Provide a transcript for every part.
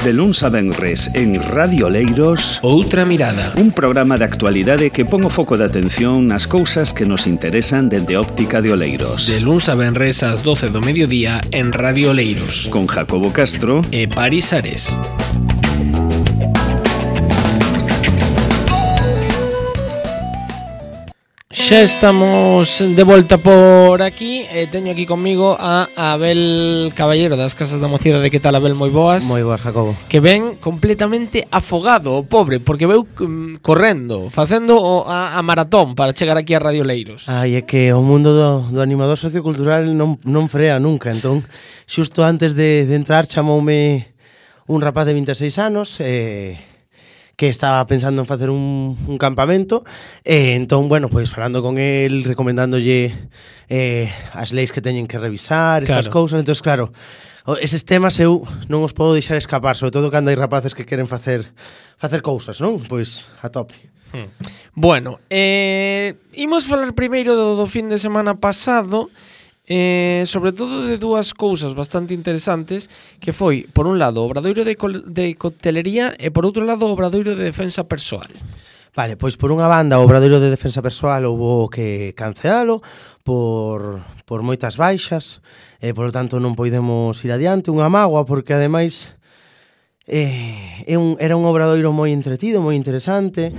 De luns a venres en Radio Oleiros, Outra Mirada, un programa de actualidade que pon o foco de atención nas cousas que nos interesan dende óptica de Oleiros. de luns a venres ás 12 do mediodía en Radio Oleiros, Con Jacobo Castro e Paris Ares. Xa estamos de volta por aquí e teño aquí conmigo a Abel Caballero das Casas da Mocidade. Que tal, Abel? Moi boas. Moi boas, Jacobo. Que ven completamente afogado o pobre, porque veu correndo, facendo a maratón para chegar aquí a Radio Oleiros. Ai, é que o mundo do animador sociocultural non frea nunca. Entón, xusto antes de entrar chamoume un rapaz de 26 anos que estaba pensando en facer un campamento entón, bueno, pois falando con el, recomendándolle as leis que teñen que revisar, estas cousas. Entón, claro, eses temas eu non os podo deixar escapar, sobre todo cando hai rapaces que queren facer cousas, non? Pois a tope. Bueno, imos falar primeiro do fin de semana pasado, sobre todo de dúas cousas bastante interesantes, que foi, por un lado, o obradoiro de coctelería e, por outro lado, o obradoiro de defensa persoal. Vale, pois por unha banda o obradoiro de defensa persoal houbo que cancelalo por moitas baixas, por lo tanto non podemos ir adiante, unha mágoa, porque ademais era un obradoiro moi entretido, moi interesante,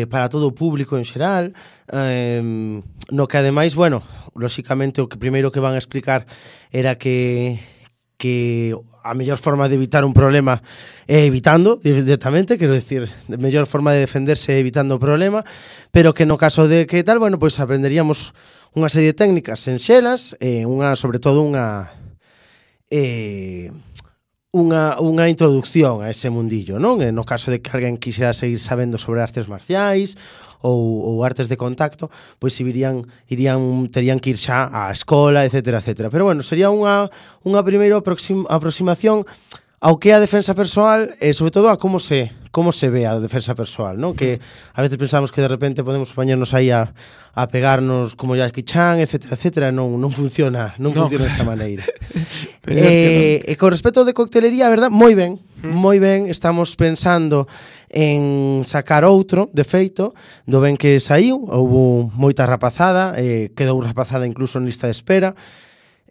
para todo o público en xeral, no que ademais, bueno, lóxicamente o que primeiro que van a explicar era que a mellor forma de evitar un problema é evitando directamente, quero decir, a mellor forma de defenderse é evitando o problema, pero que no caso de que tal, bueno, pois aprenderíamos unha serie de técnicas enxelas, sobre todo unha introducción a ese mundillo, non? No caso de que alguén quixera seguir sabendo sobre artes marciais ou artes de contacto, pois terían que ir xa á escola, etcétera, etcétera. Pero bueno, sería unha primeira aproximación ao que é a defensa persoal e sobre todo a como se ve a defensa persoal, non? Que a veces pensamos que de repente podemos poñernos aí a pegarnos como Jackie Chan, etcétera, etcétera. Non funciona desa maneira. E con respecto de coctelería, a verdad, moi ben, estamos pensando en sacar outro, de feito, do ben que saiu, houve moita rapazada, quedou rapazada incluso en lista de espera,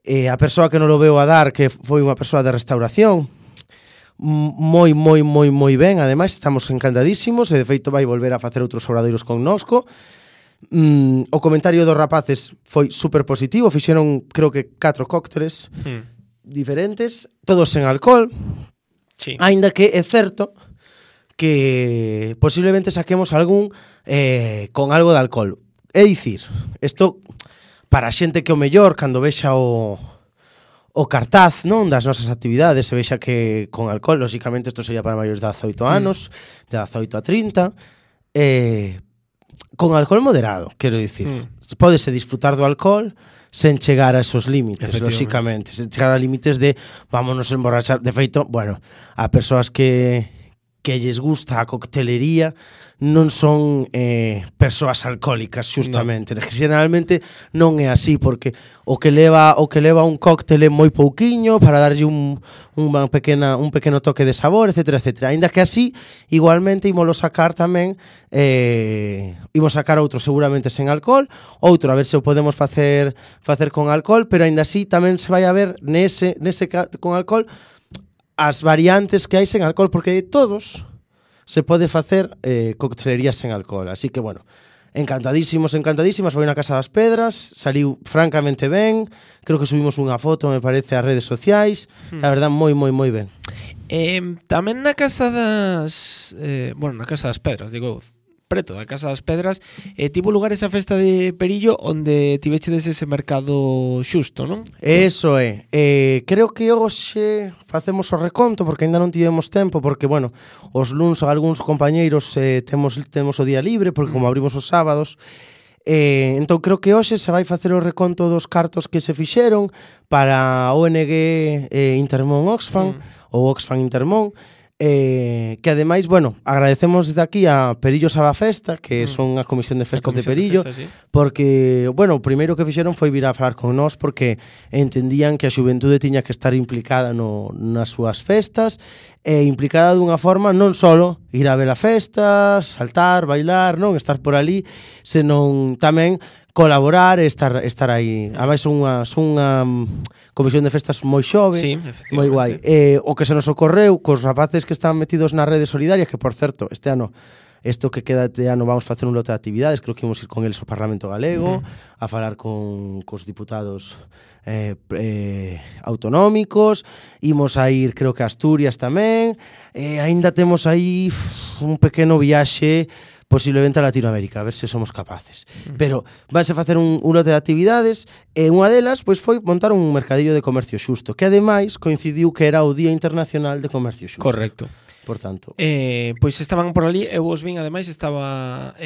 a persoa que non lo veu a dar, que foi unha persoa de restauración, moi ben, ademais estamos encantadísimos, e de feito vai volver a facer outros obradoiros connosco. O comentario dos rapaces foi super positivo, fixeron creo que 4 cócteles diferentes, todos sen alcohol, sí. Aínda que é certo que posiblemente saquemos algún con algo de alcohol. É dicir, isto para a xente que o mellor cando vexa o cartaz, non, das nosas actividades, se vexa que con alcohol, lóxicamente isto sería para maiores de 18 anos, de 18 a 30, con alcohol moderado, quero dicir. Pódese disfrutar do alcohol sen chegar a esos límites, lóxicamente, sen chegar a límites de vámonos emborrachar. De feito, bueno, a persoas que lles gusta a coctelería non son persoas alcohólicas, justamente. No. Generalmente non é así, porque o que leva un cóctel é moi pouquiño para darlle un pequeno toque de sabor, etcétera, etcétera. Ainda que así, igualmente ímolo sacar tamén, imos sacar outro seguramente sen alcohol, outro a ver se o podemos facer con alcohol, pero ainda así tamén se vai a ver nese con alcohol as variantes que hai sen alcohol, porque de todos se pode facer coctelería sen alcohol. Así que, bueno, encantadísimas. Foi na Casa das Pedras, saliu francamente ben, creo que subimos unha foto, me parece, ás redes sociais, a verdad, moi ben. Tamén na Casa das... na Casa das Pedras, digo, preto da Casa das Pedras, tivo lugar esa festa de Perillo onde tivechedes ese mercado xusto, non? Eso é. Creo que hoxe facemos o reconto, porque ainda non tivemos tempo, porque, bueno, os luns algúns compañeiros temos o día libre, porque como abrimos os sábados, entón creo que hoxe se vai facer o reconto dos cartos que se fixeron para ONG Intermón Oxfam, ou Oxfam Intermón, que ademais, bueno, agradecemos desde aquí a Perillo Sabafesta, que son a Comisión de Festas de Perillo, sí. porque, bueno, o primeiro que fixeron foi vir a falar con nós porque entendían que a xuventude tiña que estar implicada nas súas festas, e implicada dunha forma non só ir a ver a festa, saltar, bailar, non estar por ali, senón tamén colaborar e estar aí. Ademais son unha comisión de festas moi xove, sí, moi guai. O que se nos ocorreu cos rapaces que están metidos nas redes solidarias, que por certo, este ano isto que queda de ano vamos facer un lote de actividades, creo que imos ir con eles ao Parlamento Galego, a falar cos diputados autonómicos, imos a ir creo que a Asturias tamén, aínda temos aí un pequeno viaxe posiblemente a Latinoamérica, a ver se somos capaces. Pero vanse facer un lote de actividades e unha delas pois foi montar un mercadillo de comercio xusto, que ademais coincidiu que era o Día Internacional de Comercio Xusto. Correcto. Por tanto, pois estaban por ali, eu os vin, ademais estaba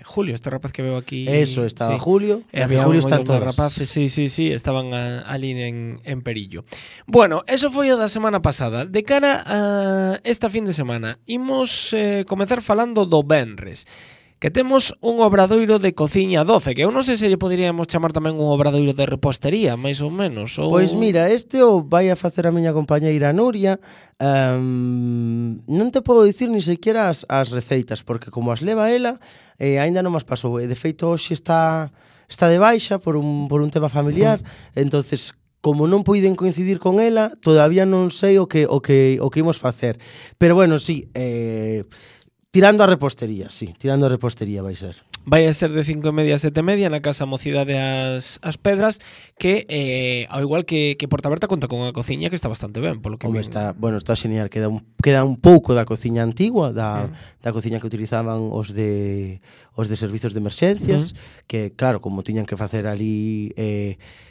Julio, este rapaz que veo aquí. Eso, estaba sí. Julio, había Julio está están todos. Rapaces, sí, estaban ali en Perillo. Bueno, eso foi o da semana pasada. De cara a esta fin de semana, imos comezar falando do venres, que temos un obradoiro de cociña 12, que eu non sei se lle poderíamos chamar tamén un obradoiro de repostería, máis ou menos. Ou... Pois mira, este o vai a facer a miña compañeira Nuria. Non te podo dicir ni sequera as receitas, porque como as leva ela, aínda non as pasou. De feito, hoxe está de baixa por un tema familiar, entonces como non puiden coincidir con ela, todavía non sei o que imos facer. Pero bueno, sí, tirando a repostería vai ser. Vai a ser de 5:30 a 7:30 na Casa Mocidade As Pedras, que ao igual que Porta Berta conta con unha cociña que está bastante ben, polo que está genial, queda un pouco da cociña antigua, da cociña que utilizaban os de servizos de emerxencias, que claro, como tiñan que facer ali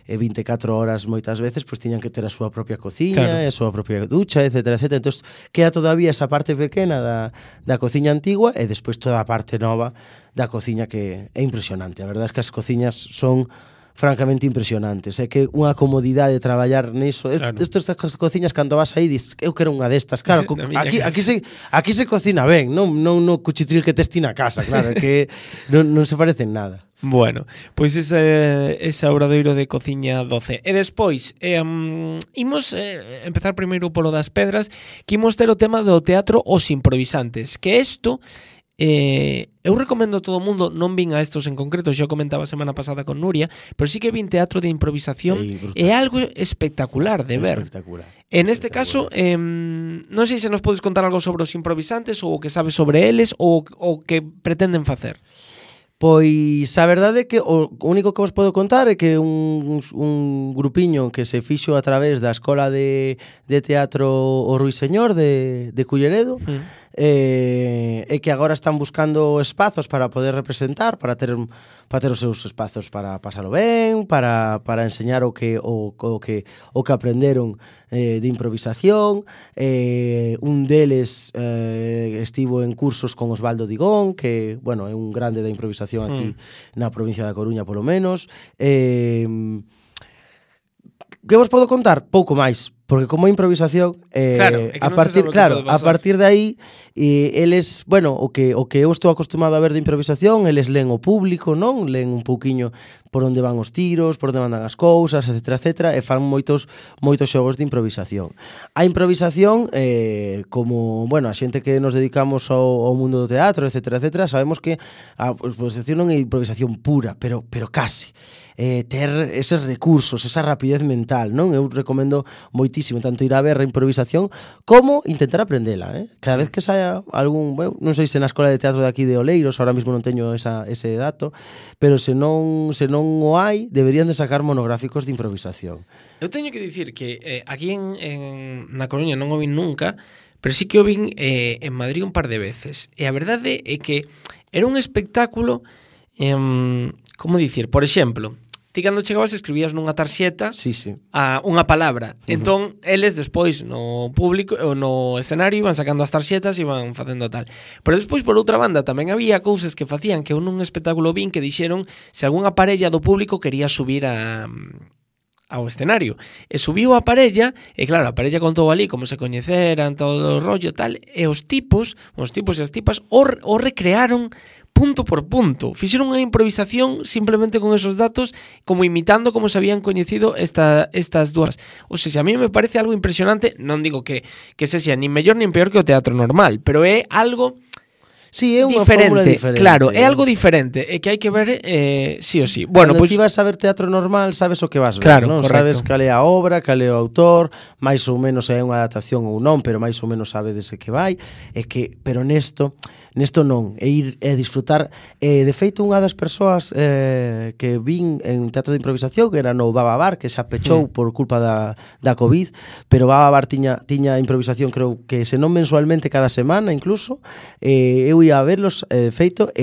24 horas moitas veces, pois tiñan que ter a súa propia cociña, claro, e a súa propia ducha, etcétera. Entonces, queda todavía esa parte pequena da cociña antigua e despois toda a parte nova da cociña, que é impresionante. A verdade é que as cociñas son francamente impresionantes. É que unha comodidade de traballar niso. Claro. Estas cociñas, cando vas aí, dices, eu quero unha destas. Claro, aquí se cocina ben, non no cuchitril que tes ti na casa, claro, que non se parecen nada. Bueno, pois ese obradoiro de cociña 12. E despois, imos empezar primeiro polo das pedras, que imos ter o tema do teatro Os Improvisantes, que isto... eu recomendo a todo o mundo, non vin a estos en concreto, xa comentaba a semana pasada con Nuria, pero sí que vin teatro de improvisación, é algo espectacular de ver. En este caso, non sei se nos podes contar algo sobre os improvisantes, ou o que sabes sobre eles, ou o que pretenden facer. Pois a verdade é que o único que vos podo contar é que un grupiño que se fixo a través da Escola de Teatro O Ruiseñor de Culleredo, e que agora están buscando espazos para poder representar, para ter os seus espazos para pasalo ben, para enseñar o que aprenderon de improvisación. Un deles estivo en cursos con Osvaldo Digón, que, bueno, é un grande da improvisación aquí na provincia da Coruña, polo menos. Que vos podo contar? Pouco máis, porque como improvisación, claro, a partir de aí, eles, bueno, o que eu estou acostumado a ver de improvisación, eles len o público, non? Len un pouquiño por onde van os tiros, por onde mandan as cousas, etcétera, e fan moitos xogos de improvisación. A improvisación, como, bueno, a xente que nos dedicamos ao mundo do teatro, etcétera, sabemos que a improvisación non é improvisación pura, pero casi. Ter eses recursos, esa rapidez mental, non? Eu recomendo moitísimo tanto ir a ver a improvisación como intentar aprendela, Cada vez que saia algún, bueno, non sei se na Escola de Teatro de aquí de Oleiros, ahora mesmo non teño ese dato, pero se non o hai, deberían de sacar monográficos de improvisación. Eu teño que dicir que aquí na Coruña non o vin nunca, pero sí que o vin en Madrid un par de veces. E a verdade é que era un espectáculo, como dicir, por exemplo, ti cando chegabas escribías nunha tarxeta a unha palabra. Entón, eles despois no público ou no escenario iban sacando as tarxetas e iban facendo tal. Pero despois, por outra banda, tamén había cousas que facían que un espectáculo vin que dixeron se algunha parella do público quería subir a ao escenario. E subiu a parella, e claro, a parella contou ali como se coñeceran, todo o rollo tal, e os tipos e as tipas o recrearon punto por punto. Fixeron unha improvisación simplemente con esos datos, como imitando como se habían coñecido estas dúas. O sea, a mí me parece algo impresionante. Non digo que sexa nin mellor nin peor que o teatro normal, pero é algo Sí, é unha fórmula diferente. Claro, é algo diferente e que hai que ver sí ou sí. Bueno, pois ti vas a ver teatro normal, sabes o que vas ver, claro, non? Correcto. Sabes cal é a obra, cal é o autor, máis ou menos é unha adaptación ou non, pero máis ou menos sabedes que vai, pero nesto non, é ir e disfrutar. De feito, unha das persoas que vin en teatro de improvisación, que era no Baba Bar, que xa pechou por culpa da COVID, pero Baba Bar tiña improvisación, creo que se non mensualmente, cada semana incluso. Eu ia a verlos, feito,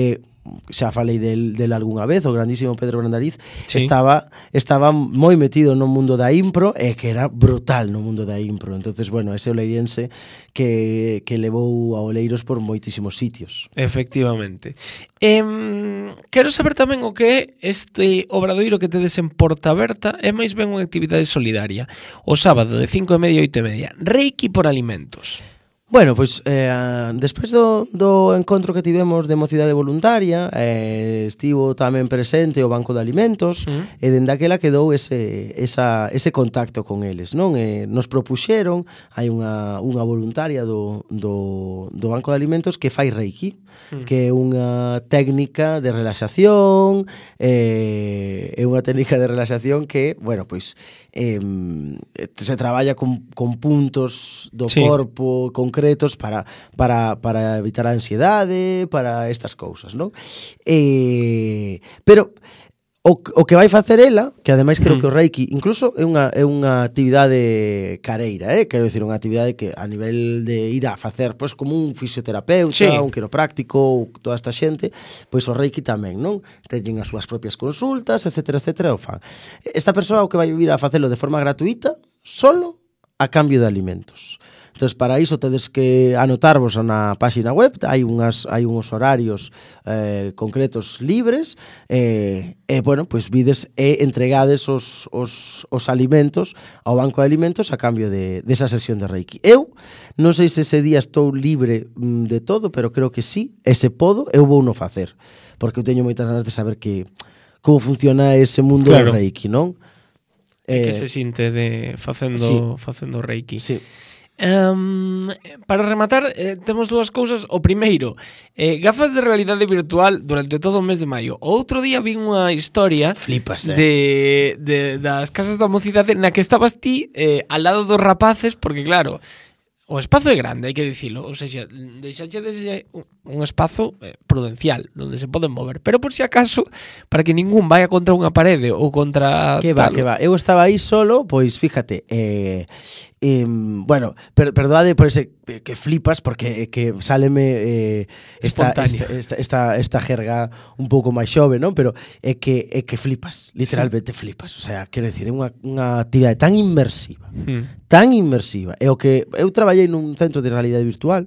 xa falei del algunha vez, o grandísimo Pedro Brandariz, sí. estaba moi metido no mundo da impro e que era brutal no mundo da impro. Entonces, bueno, ese oleirense que levou a Oleiros por moitísimos sitios. Efectivamente. Quero saber tamén o que é este obradoiro que tedes en Porta Aberta, é máis ben unha actividade solidaria. O sábado de 5:30 a 8:30, Reiki por alimentos. Bueno, pois despois do encontro que tivemos de mocidade voluntaria, estivo tamén presente o Banco de Alimentos, e dende aquela quedou ese contacto con eles, non? Nos propuxeron, hai unha voluntaria do Banco de Alimentos que fai Reiki, que é unha técnica de relaxación, que, bueno, pois se traballa con puntos do corpo concretos para evitar a ansiedade, para estas cousas, non? Pero o que vai facer ela, que ademais creo que o Reiki incluso é unha actividade careira, quero dicir, unha actividade que a nivel de ir a facer, pois, como un fisioterapeuta, un quiropráctico, ou toda esta xente, pois o Reiki tamén, non? Teñen as súas propias consultas, etcétera, etcétera, o fan. Esta persoa o que vai vir a facelo de forma gratuita, solo a cambio de alimentos. Entón, para iso tedes que anotarvos na páxina web, hai uns horarios concretos libres, bueno, pois vides e entregades os alimentos ao Banco de Alimentos a cambio desa sesión de Reiki. Eu non sei se ese día estou libre de todo, pero creo que sí, ese podo, eu vou no facer, porque eu teño moitas ganas de saber como funciona ese mundo do Reiki, non? Que se sinte facendo Reiki. Sí. Para rematar, temos dúas cousas. O primeiro, gafas de realidade virtual durante todo o mes de maio. O outro día vi unha historia das casas da mocidade na que estabas ti al lado dos rapaces, porque claro, o espazo é grande, hai que dicilo. Ou seja, deixachedes un espazo prudencial onde se poden mover, pero por si acaso, para que ningún vaya contra unha parede ou contra que va. Eu estaba aí solo, pois fíjate, bueno, perdoade por ese que flipas, porque que sáleme esta jerga un pouco máis xove, non? Pero é que flipas, literalmente flipas. O sea, quero dicir, é unha actividade tan inmersiva, e o que eu traballei nun centro de realidade virtual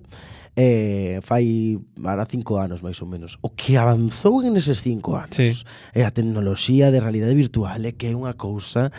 fai para 5 anos máis ou menos. O que avanzou en eses 5 anos é a tecnoloxía de realidade virtual, que é unha cousa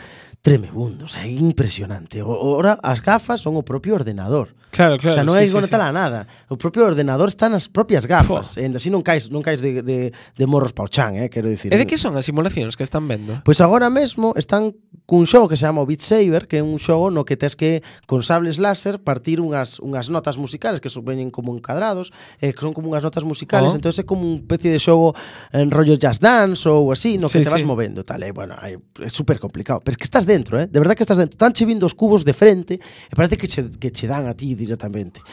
tremebundo, o sea, é impresionante. Ora as gafas son o propio ordenador. Claro, o sea, non hai que conectala a nada. O propio ordenador está nas propias gafas. E así non caes de morros pa o chan, quero dicir. E de que son as simulacións que están vendo? Pois agora mesmo están cun xogo que se chama Beat Saber, que é un xogo no que tes que, con sables láser, partir unhas notas musicales que veñen como encadrados, que son como unhas notas musicales, entón é como un especie de xogo en rollo Just Dance ou así, no que te vas movendo, tal. Bueno, é super complicado, pero é que estás dentro, de verdad que estás dentro. Están che vindo os cubos de frente e parece que che dan a ti directamente.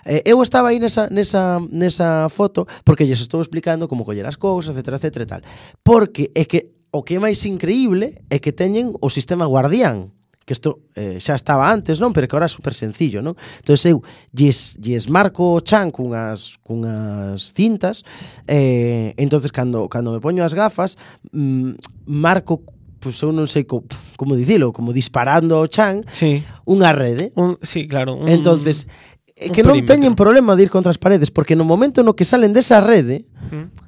Eu estaba aí nesa foto porque lles estou explicando como coller as cousas, etcétera, etcétera, tal. Porque é que o que é máis increíble é que teñen o sistema Guardián, que isto xa estaba antes, non? Pero que ahora é super sencillo, non? Entón eu lles marco o chan cunhas cintas, entonces cando me poño as gafas, marco, pois eu non sei como dicilo, como disparando ao chan, unha rede. Sí, claro. Entonces, que non teñen problema de ir contra as paredes, porque no momento no que salen desa rede,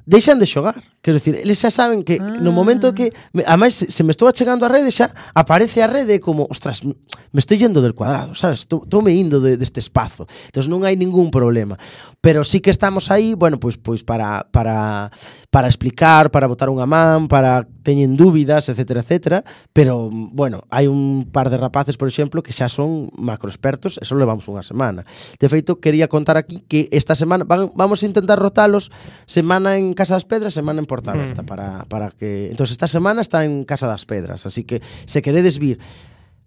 deixan de xogar. Quero dicir, eles xa saben que no momento que ademais se me estou achegando a rede xa aparece a rede como, ostras, me estou yendo del cuadrado, sabes? Estou me indo deste espazo. Entón non hai ningún problema. Pero sí que estamos aí, bueno, pois para explicar, para botar unha man, para teñen dúbidas, etcétera, etcétera, pero bueno, hai un par de rapaces, por exemplo, que xa son macroexpertos, eso levamos unha semana. De feito, quería contar aquí que esta semana vamos a intentar rotalos semana en Casa das Pedras, semana en Porta Aberta, para que... Entonces, esta semana está en Casa das Pedras, así que se queredes vir,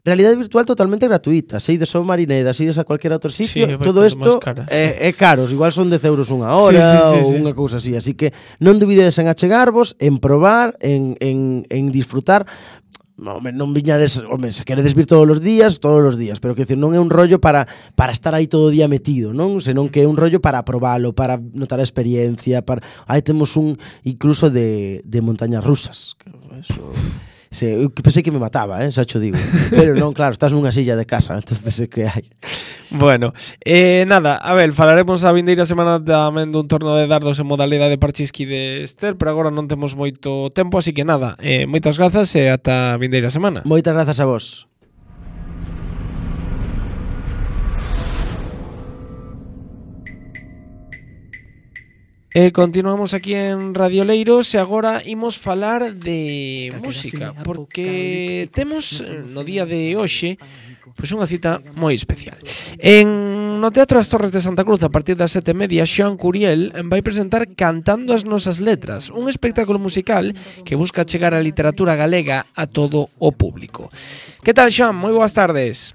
realidade virtual totalmente gratuita, se ides ao Marineda, se ides a cualquier outro sitio, todo isto é caros, igual son 10 euros unha hora ou unha cousa así que non dubidedes en achegarvos, en probar, en disfrutar. Non viñades, se queredes vir todos os días, pero que decir, non é un rollo para estar aí todo o día metido, non? Senón que é un rollo para probalo, para notar a experiencia, aí temos un incluso de montañas rusas, que eso... Eu pensei que me mataba, xa cho digo. Pero non, claro, estás nunha silla de casa, entonces é que hai. Bueno, nada, a ver, falaremos a vindeira semana tamén dun torno de dardos en modalidade parchisqui de Ester, pero agora non temos moito tempo, así que nada, moitas grazas e ata a vindeira semana. Moitas grazas a vos. Continuamos aquí en Radio Leiros e agora imos falar de música, porque temos no día de hoxe pois unha cita moi especial. No Teatro das Torres de Santa Cruz, a partir das 7:30, Xoan Curiel vai presentar Cantando as nosas letras, un espectáculo musical que busca chegar a literatura galega a todo o público. Que tal, Xoan? Moi boas tardes.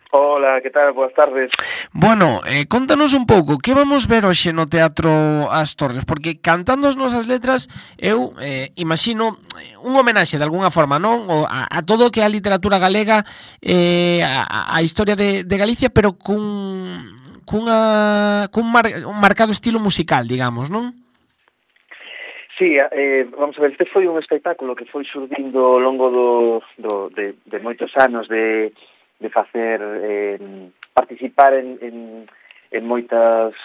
Hola, que tal? Boas tardes. Bueno, contanos un pouco, que vamos ver hoxe no Teatro As Torres? Porque Cantando as nosas letras, eu imagino un homenaxe de alguna forma, non? A todo o que é a literatura galega, a historia de Galicia, pero cun marcado estilo musical, digamos, non? Sí, vamos a ver, este foi un espectáculo que foi surdindo ao longo de moitos anos de facer participar en moitos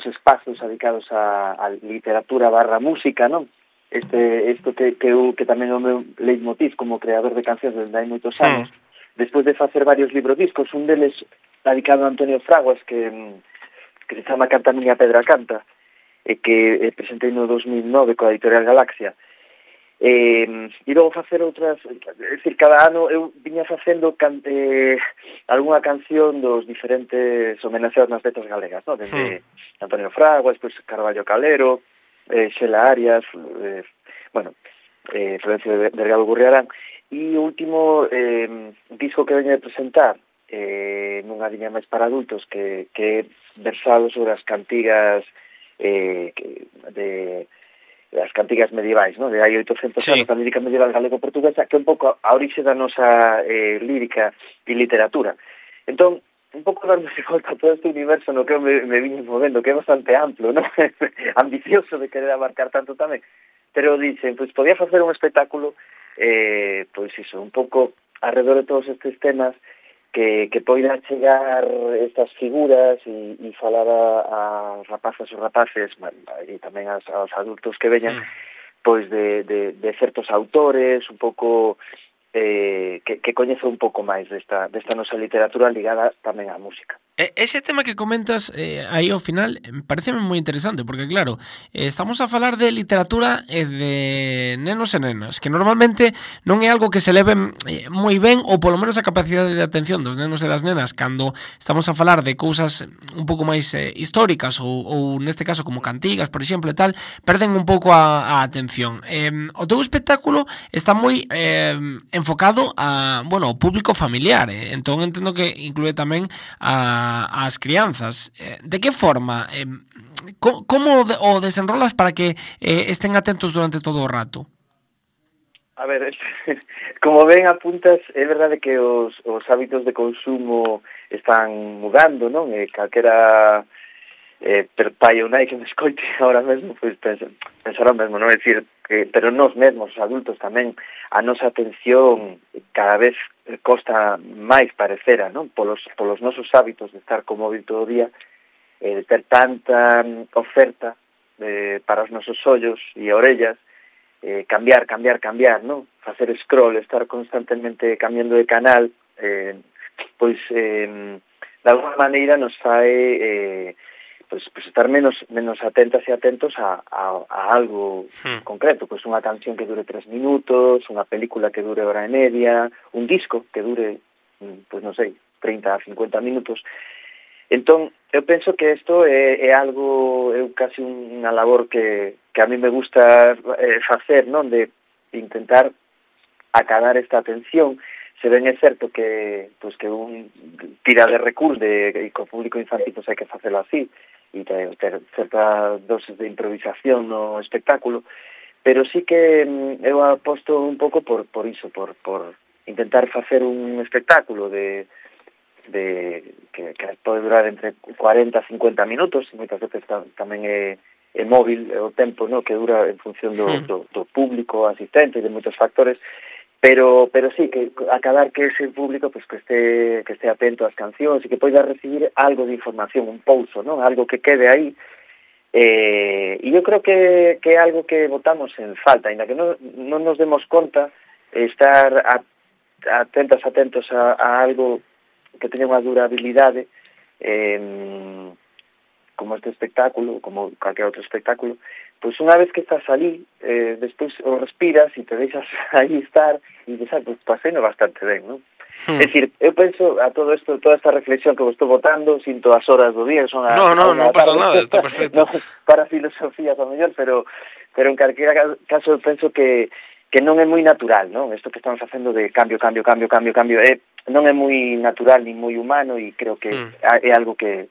espazos dedicados a literatura / música, non? Isto que tamén é o meu leitmotiv como creador de cancións desde hai moitos anos. Despois de facer varios librodiscos, un deles dedicado a Antonio Fraguas que se chama Canta miña pedra canta, e que presentei no 2009 coa editorial Galaxia. E logo facer outras, é dicir, cada ano eu viña facendo algunha canción dos diferentes homenaxeados nas letras galegas, no? Desde Antonio Fraguas, pois Carballo Calero, Xela Arias, Florencio Delgado Gurriarán, e o último disco que veño de presentar nunha liña máis para adultos que é versado sobre as cantigas das cantigas medievais, ¿no? De hai 800 anos da lírica medieval galego-portuguesa, que é un pouco a orixe da nosa lírica e literatura. Entón, un pouco dándose volta a todo este universo no que eu me vine movendo, que é bastante amplo, ¿no? Ambicioso de querer abarcar tanto tamén, pero dicen, pois podía facer un espectáculo pois iso, un pouco alrededor de todos estes temas que poida chegar estas figuras e falar a rapazas ou rapaces e tamén aos adultos que veñan pois de certos autores un pouco que coñece un pouco máis desta nosa literatura ligada tamén á música. Ese tema que comentas aí ao final pareceme moi interesante, porque claro, estamos a falar de literatura e de nenos e nenas, que normalmente non é algo que se leve moi ben, ou polo menos a capacidade de atención dos nenos e das nenas cando estamos a falar de cousas un pouco máis históricas ou neste caso como cantigas, por exemplo, e tal, perden un pouco a atención. O teu espectáculo está moi enfocado ao público familiar, entón entendo que inclúe tamén as crianzas. De que forma? Como o desenrolas para que estén atentos durante todo o rato? A ver, como ven apuntas, é verdade que os hábitos de consumo están mudando, non? Calquera pai ou nai que me escoite ahora mesmo, pois pensará mesmo, non? É dicir, pero nós mesmos, os adultos tamén, a nosa atención cada vez costa máis parecera, non? Polos nosos hábitos de estar co móvil todo o día, de ter tanta oferta, para os nosos ollos e orellas, cambiar, non? Facer scroll, estar constantemente cambiando de canal, pois de alguma maneira nos fai pois estar menos atentas e atentos a algo concreto, pois unha canción que dure 3 minutos, unha película que dure hora e media, un disco que dure, pois non sei, 30 a 50 minutos. Entón, eu penso que isto é algo, casi unha labor que a mí me gusta facer, non? De intentar acabar esta atención. Se ben é certo que un tira de recursos e co público infantil hai que facelo así, e ter certa doses de improvisación no espectáculo, pero sí que eu aposto un pouco por iso, por intentar facer un espectáculo que pode durar entre 40 a 50 minutos, e moitas veces tamén é móvil o tempo, no, que dura en función do público asistente e de moitos factores, pero sí, que acabar que ese público pues que esté atento ás cancións e que poida recibir algo de información, un pouso, ¿no? Algo que quede aí. E eu creo que é algo que botamos en falta, ainda que non nos demos conta, estar atentos a algo que teña unha durabilidade, como este espectáculo, como calquer outro espectáculo, pois unha vez que estás ali, despois o respiras e te deixas aí estar e dices, pois paseino bastante ben, non? É dicir, eu penso a todo isto, toda esta reflexión que vos estou botando, sinto as horas do día, que son non pasa nada, está perfecto. Para filosofías, ao mellor, pero en calquera caso eu penso que non é moi natural, non? Isto que estamos facendo de cambio, non é moi natural ni moi humano, e creo que é algo que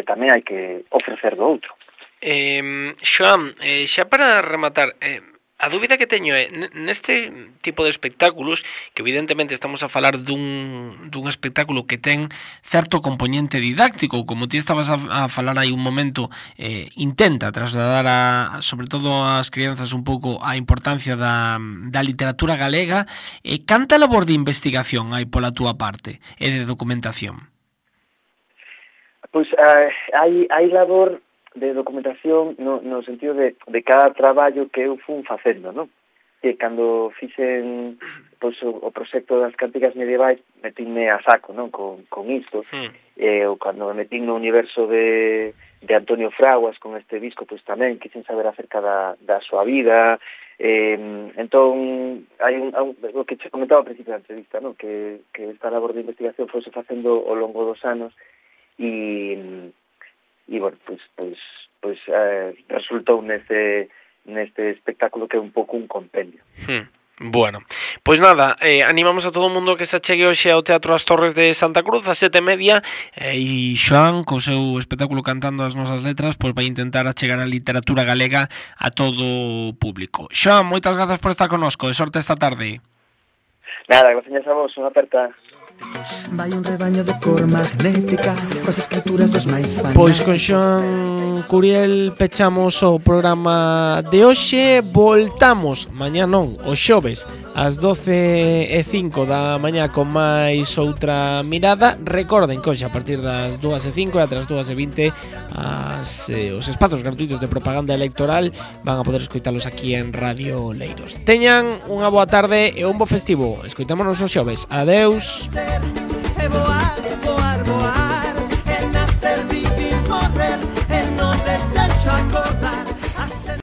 tamén hai que ofrecer do outro. Xoan, xa para rematar, a dúbida que teño é neste tipo de espectáculos, que evidentemente estamos a falar dun espectáculo que ten certo componente didáctico, como ti estabas a falar aí un momento, intenta trasladar sobre todo ás crianzas un pouco a importancia da literatura galega. Canta labor de investigación hai pola túa parte e de documentación? Pois hai labor de documentación no sentido de cada traballo que eu fun facendo, non? Que cando fixen pois, o proxecto das cánticas medievais metinme a saco, non? Con isto, ou cando me metín no universo de Antonio Fraguas con este disco, pois tamén quixen saber acerca da súa vida. Entón hai o que che comentaba ao principio da entrevista, non? Que esta labor de investigación fose facendo ao longo dos anos e bueno, pois resultou neste espectáculo que é un pouco un compendio. Bueno, pois nada, animamos a todo o mundo que se achegue hoxe ao Teatro As Torres de Santa Cruz a 7:30, e Xoan, co seu espectáculo Cantando as nosas letras, pois vai intentar achegar a literatura galega a todo o público. Xoan, moitas grazas por estar connosco, e sorte esta tarde. Nada, gracias a vos, unha aperta. Vai un rebaño de cor magnética coas escrituras dos máis fanáticos. Pois con Xoan Curiel pechamos o programa de hoxe. Voltamos mañá, non, o xoves ás 12:05 da mañá con máis outra mirada. Recorden que hoxe a partir das 2:05 e ata as 2:20 os espazos gratuitos de propaganda electoral van a poder escoitalos aquí en Radio Leiros. Teñan unha boa tarde e un bo festivo. Escoitámonos os xoves. Adeus. E voar